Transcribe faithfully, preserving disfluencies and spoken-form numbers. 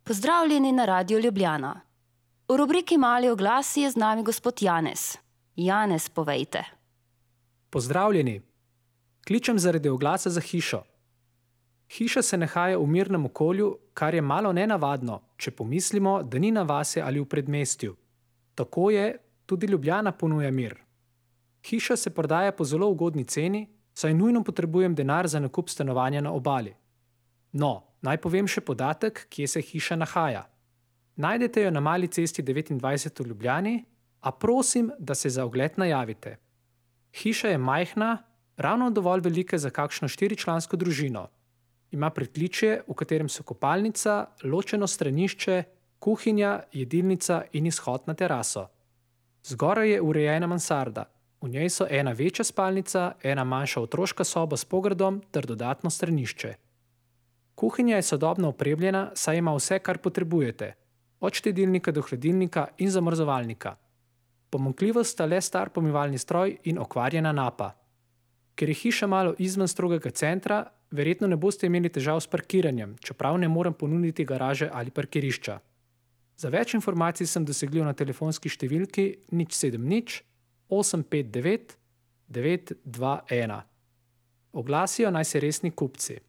Pozdravljeni na Radiu Ljubljana. V rubriki Mali oglasi je z nami gospod Janez. Janez, povejte. Pozdravljeni. Kličem zaradi oglasa za hišo. Hiša se nahaja v mirnem okolju, kar je malo nenavadno, če pomislimo, da ni na vasi ali v predmestju. Tako je, tudi Ljubljana ponuja mir. Hiša se prodaja po zelo ugodni ceni, saj nujno potrebujem denar za nakup stanovanja na obali. No, naj povem še podatek, kje se hiša nahaja. Najdete jo na Mali cesti devetindvajset v Ljubljani, a prosim, da se za ogled najavite. Hiša je majhna, ravno dovolj velika za kakšno štiričlansko družino. Ima pritličje, v katerem so kopalnica, ločeno stranišče, kuhinja, jedilnica in izhod na teraso. Zgoraj je urejena mansarda. V njej so ena večja spalnica, ena manjša otroška soba s pogradom ter dodatno stranišče. Kuhinja je sodobno opremljena, saj ima vse, kar potrebujete. Od štedilnika do hladilnika in zamrzovalnika. Pomanjkljivost sta le star pomivalni stroj in okvarjena napa. Ker je hiša malo izven strogega centra, verjetno ne boste imeli težav s parkiranjem, čeprav ne morem ponuditi garaže ali parkirišča. Za več informacij sem dosegljiv na telefonski številki nič sedem nič osem pet devet devet dva ena. Oglasijo naj se resni kupci.